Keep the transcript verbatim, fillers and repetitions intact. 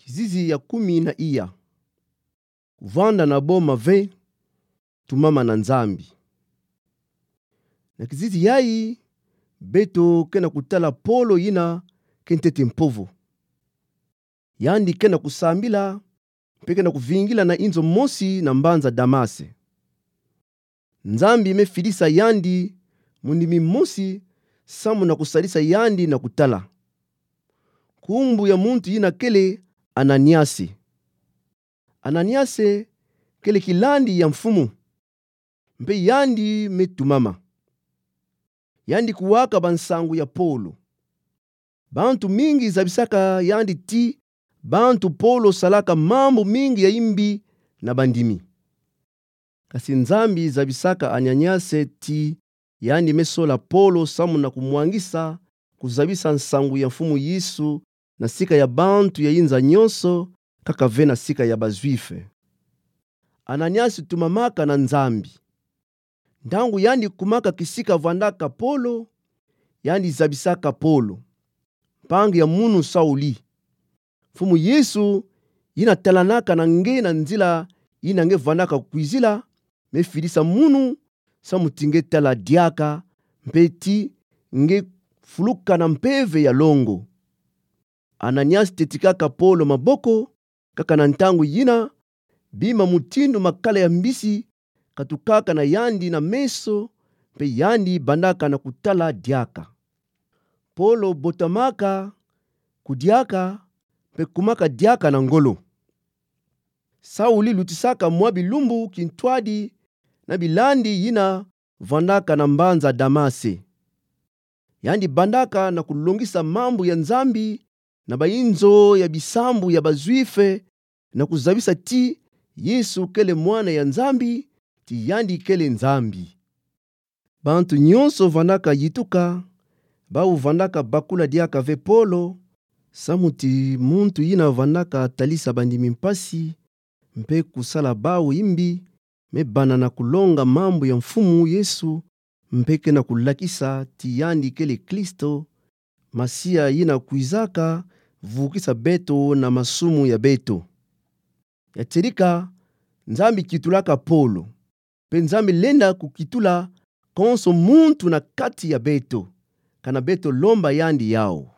Kizizi ya kumi na iya. Kuvanda na bo mave, tumama na Nzambi. Na kizizi yayi, beto ke na kutala Polo yina ke ntete mpovo. Yandi ke na kusambila, mpe ke na kuvingila na inzo mosi na mbanza Damase. Nzambi me fidisa yandi mundimi mosi samu na kusalisa yandi na kutala. Nkumbu ya muntu yina kele Ananiase. Ananiase kele kilandi ya mfumu, mpe yandi me tumama. Yandi kuwaka bansangu ya Polo. Bantu mingi zabisaka yandi ti bantu Polo salaka mambu mingi ya imbi na bandimi. Kasi Nzambi zabisaka Ananiase ti yandi me sola Polo samu na kumwangisa kuzabisa nsangu ya Mfumu Yesu na sika ya bantu ya inza nyonso, kaka ve na sika ya ba Juifs. Ananiase tumamaka na Nzambi. Ntangu yandi kumaka kisika vandaka Polo, yandi zabisaka Polo, mpangi ya munu Sauli. Mfumu Yesu, yina talanaka na nge na nzila yina nge vandaka kwizila, me fidisa munu samu ti nge tala diaka, mpe ti nge fuluka na mpeve ya longo. Ananiase tetikaka Polo maboko, kaka na ntangu yina, bima mutindu makala ya mbisi katukaka na yandi na meso, mpe yandi bandaka na kutala diaka. Polo botamaka, kudiaka, mpe kumaka diaka na ngolo. Sauli lutisaka mwa bilumbu kintwadi na bilandi yina vandaka na mbanza Damase. Yandi bandaka na kulongisa mambu ya Nzambi na bainzo ya bisambu ya ba Juifs, na kuzabisa ti Yesu kele Mwana ya Nzambi, ti yandi kele Nzambi. Bantu nyonso vandaka yituka, bawu vandaka bakula diaka ve Polo, samu ti muntu yina vandaka talisa bandimi mpasi, mpe kusala bawu imbi, me bana na kulonga mambu ya Mfumu Yesu, mpe ke na kulakisa ti yandi kele Kristo, Masiya yina kwizaka vukisa beto na masumu ya beto. Ya tierika, Nzambi kitulaka Polo, mpe Nzambi lenda kukitula konso muntu na kati ya beto, kana beto lomba yandi yawu.